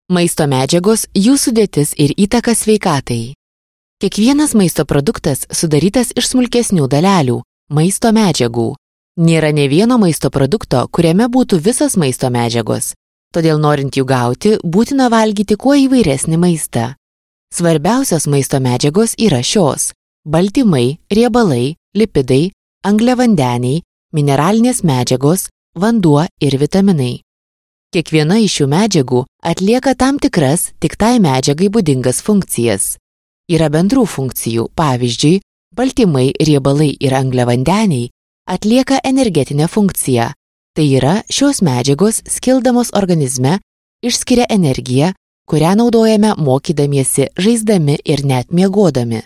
Maisto medžiagos, jų sudėtis ir įtaka sveikatai. Kiekvienas maisto produktas sudarytas iš smulkesnių dalelių – maisto medžiagų. Nėra nė vieno maisto produkto, kuriame būtų visas maisto medžiagos. Todėl norint jų gauti, būtina valgyti kuo įvairesnį maistą. Svarbiausios maisto medžiagos yra šios – baltymai, riebalai, lipidai, angliavandeniai, mineralinės medžiagos, vanduo ir vitaminai. Kiekviena iš šių medžiagų atlieka tam tikras tik tai medžiagai būdingas funkcijas. Yra bendrų funkcijų, pavyzdžiui, baltymai, riebalai ir angliavandeniai atlieka energetinę funkciją. Tai yra, šios medžiagos skildamos organizme išskiria energiją, kurią naudojame mokydamiesi, žaisdami ir net miegodami.